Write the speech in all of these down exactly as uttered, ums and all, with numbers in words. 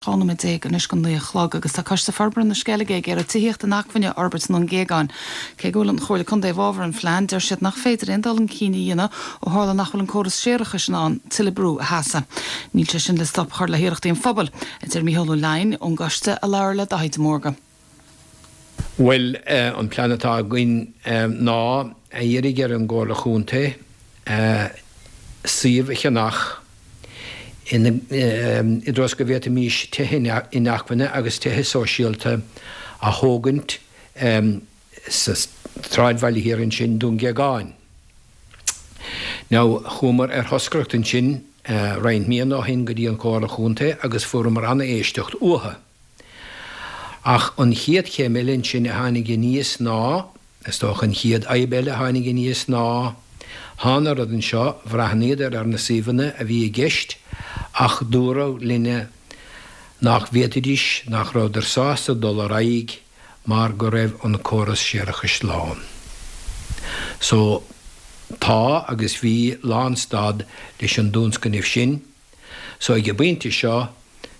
Dhá nóiméad déag anois go naoi a chlog agus tá Coiste Forbartha na Sceilge ag iarraidh tithíocht inacmhainne a fhorbairt i nDún Géagáin. Cé go bhfuil an Chomhairle Contae i bhfabhar an phlean, deir siad nach féidir aon dul chun cinn a dhéanamh ó tharla nach bhfuil an córas séarachais in ann tuilleadh brú a sheasamh. Níl sé sin le stop a chur le hiarrachtaí an phobail, a deir Mícheál Ó Leidhin ón gcoiste a labhair le Daithí de Mórdha. Bhuel an plean atá againn ná a iarraidh ar an gComhairle Chontae suíomh a cheannach i dtreo go bhféadfaimis tithe inacmhainne agus tithe sóisialta a thógaint sa tsráidbhaile thiar ansin, Dún Géagáin. Now, chuamar ar thoscaireacht ansin roinnt míonna ó shin go dtí an Chomhairle Chontae agus fuaireamar an-éisteacht uathu. Ach an chéad chéim eile ansin a tháinig aníos ná, is dócha an chéad fhadhb eile a tháinig aníos ná, thánadar anseo, bhreathnaíodar ar na suíomhanna a bhí i gceist ach dúradh linne nach bhféadfaidís, nach rabhadar sásta dul ar aghaidh mar go raibh an córas séarachais lán. So, tá agus bhí lánstad leis an dtionscnamh sin. So ag an bpointe seo,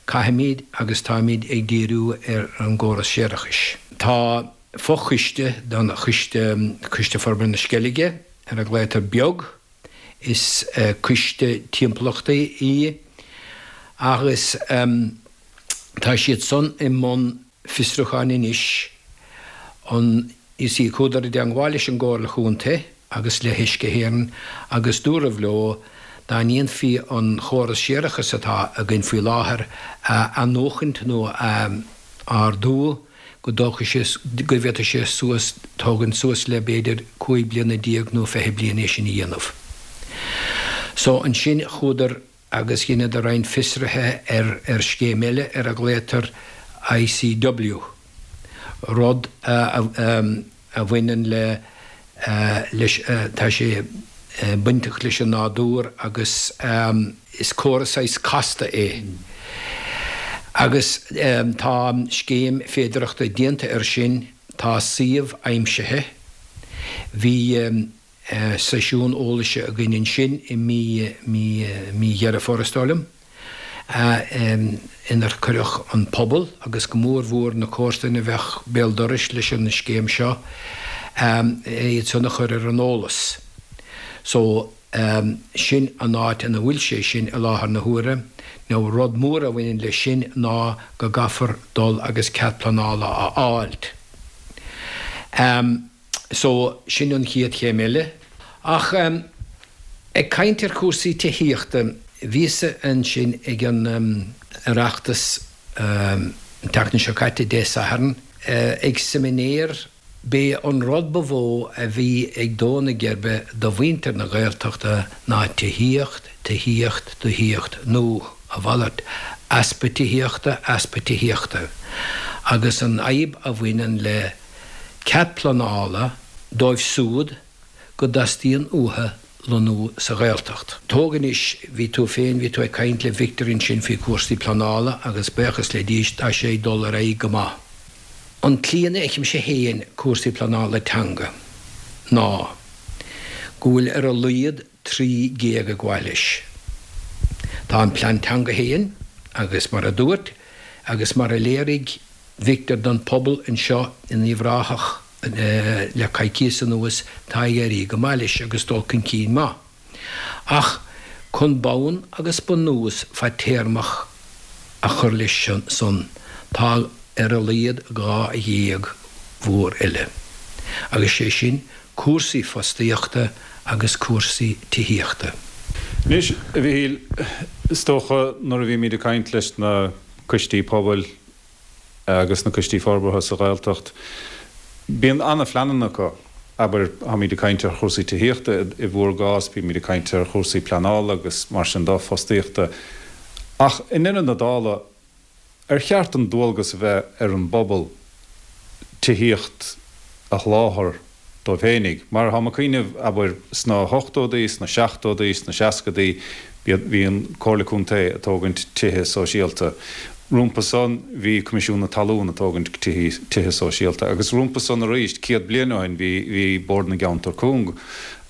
caithfimid agus táimid ag díriú ar an gcóras séarachais. Tá fochoiste den choiste, Coiste Forbartha na Sceilge, ar a nglaotar Beag, is coiste timpeallachta í agus tá siad san i mbun fiosrúcháin anois an you see chuadar i dteangmháil leis an gComhairle Chontae agus le hUisce Éireann agus dúradh leo dá ndéanfaí an chóras séarachais atá againn faoi láthair a athnuachaint nó a ardú go dtógfadh sé, go bhféadfadh sé suas, tógaint suas le b'fhéidir cúig bliana déag nó fiche bliain é sin a dhéanamh. So ansin chuadar agus dheineadar roinnt fiosruithe ar ar scéim eile ar a ghlaotar ICW, rud a a bhaineann le leis, tá sé bainteach leis an nádúr agus is córas saghas casta é. Agus tá scéim féidearthachta déanta air sin, tá suíomh aimsithe, bhí seisiún eolais againn ansin i mí mí mí Dheireadh Fómhair is dóigh liom, inar cuireadh an pobal agus go mór mhór na comharsana a bheadh béal dorais leis an scéim seo, iad san a chur ar an eolas. So. Sin an áit ina bhfuil sé sin i láthair na huaire. Now rud mór a bhaineann leis sin ná go gcaithfear dul agus cead pleanála a fháilt. So, sin an chéad chéim eile. Ach ag caint ar chúrsaí tithíochta, bhíos-sa ansin ag an Oireachtas an tseachtain seo caite, Dé Sathairn, ag seimineár, B'é an rud ba mhó a bhí ag dó na geirbe do mhuintir na Gaeltachta ná tithíocht, tithíocht, tithíocht, nó a mhalairt, easpa tithíochta, easpa tithíochta. Agus an fhadhb a bhaineann le cead pleanála dóibh siúd go dteastaíonn uathu lonnú sa Ghaeltacht. Tóg anois, bhí tú féin, bhí tú ag caint le Victor ansin faoi chúrsaí pleanála agus buíochas le Dia tá sé ag dul ar aghaidh go maith. An tslí ina bhfeicimse féin cúrsaí pleanála teanga ná go bhfuil ar a laghad trí ghéag ag gabháil leis. Tá an plean teanga féin agus mar a dúirt agus mar a léirigh Victor don phobal anseo in Uíbh Ráthach le coicíos anuas tá ag éirí go maith leis agus dul chun cinn maith. Ach chun bonn agus bunús fadtéarmach a chur leis san, tá ar a laghad dhá ghéag mhór eile, agus sé sin cúrsaí fostaíochta agus cúrsaí tithíochta. Anois, a Mhichíl, is dócha nuair a bhímid ag caint leis na coistí pobail agus na coistí forbartha sa Ghaeltacht, bíonn an-phleananna acu. Abair, táimid ag caint ar chúrsaí tithíochta i bhur gcás, bímid ag caint ar chúrsaí pleanála agus mar sin de, fostaíochta. Ach i ndeireadh na dála, ar cheart an dualgas a bheith ar an bpobal tithíocht a sholáthar dóibh féinig? Mar táim ag cuimhneamh, abair, sna hochtódaí, sna seachtódaí, sna seascadaí, bhí an Comhairle Contae ag tógaint tithe sóisialta. Rompu san bhí Coimisiún na Talún ag tógaint tithe sóisialta agus rompu san arís céad bliain ó shin bhí bhí Bord na gCeantar Cúng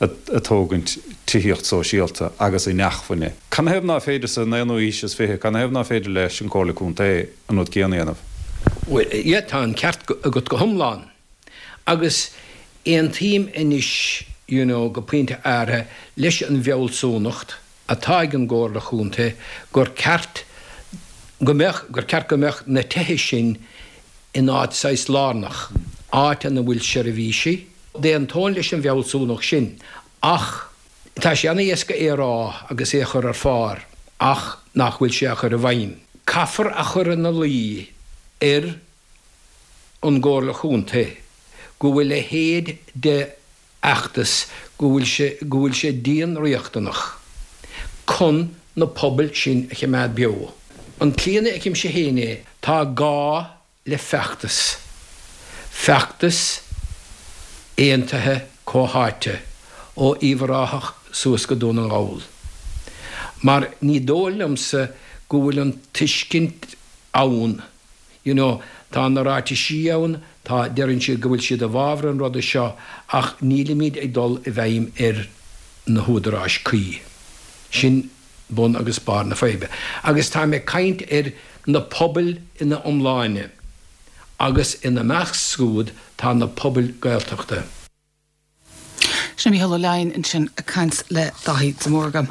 ag tógaint tithíocht sóisialta agus inacmhainne. Canathaobh nach féidir san aonú haois is fiche, canathaobh nach féidir leis an Chomhairle Contae an rud céanna a dhéanamh? Bhuel, yeah, tá an ceart agat go hiomlán. Agus aontaím anois, you know, go pointe áirithe leis an bhfealsúnacht atá ag an gComhairle Chontae gur ceart go mbeadh, gur ceart go mbeadh na tithe sin in áit saghas lárnach, áit ina bhfuil seirbhísí. D'aontóinn leis an bhfealsúnacht sin ach tá sé an-éasca é a rá agus é a chur ar phár ach nach bhfuil sé á chur i bhfeidhm. Caithfear a chur ina luí ar an gComhairle Chontae go bhfuil a leithéid de fheachtas, go bhfuil sé, go bhfuil sé dian-riachtanach chun na pobail sin a choimeád beo. An tslí ina bhfeicimse féin é, tá gá le feachtas, feachtas aontaithe comhtháite ó Uíbh Ráthach suas go Dún na nGall. Mar ní dóigh liomsa go bhfuil an tuiscint ann, you know, tá na ráitisí ann, tá, deireann siad go bhfuil siad i bhfabhar an ruda seo ach nílimid ag dul i bhfeidhm ar na húdaráis cuí. Sin bun agus barr na faidhbe. Agus táim ag caint ar na pobail ina iomláine agus ina measc siúd tá na pobail Gaeltachta. Sin Mícheál Ó Leidhin ansin ag caint le Daithí de Mórdha.